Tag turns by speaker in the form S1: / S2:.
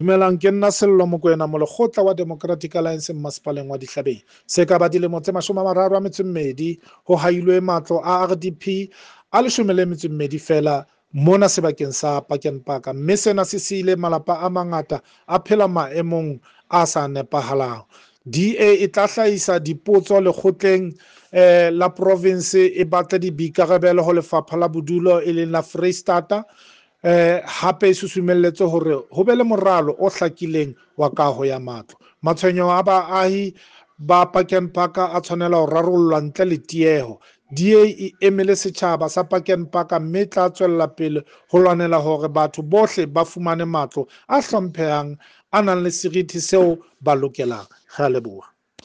S1: Dumelang, ke nna Sello Mokoena, molekgotla wa Democratic Alliance mmasepaleng wa Dihlabeng. Se ka ba dilemo tse 32 ho hailwe matlo a RDP a 12 feela mona sebakeng sa Park Park, mme sena se siile malapa a mangata a phela maemong a sa nepahalang. DA e tla hlahisa dipotso lekgotleng la province, e batle diboikarabelo ho lefapha la bodulo e leng la Freistata. Hape e susumelletse hore ho be le moralo o hlakileng wa kaho ya matlo. Matshwenyeho a baahi ba Park Park a tshwanela ho rarollwa ntle le tieho. DA e emele setjhaba sa Park Park mme e tla tswella pele ho lwanela hore batho bohle ba fumane matlo a hlomphehang a nang le seriti seo ba lokelang. Re a leboha.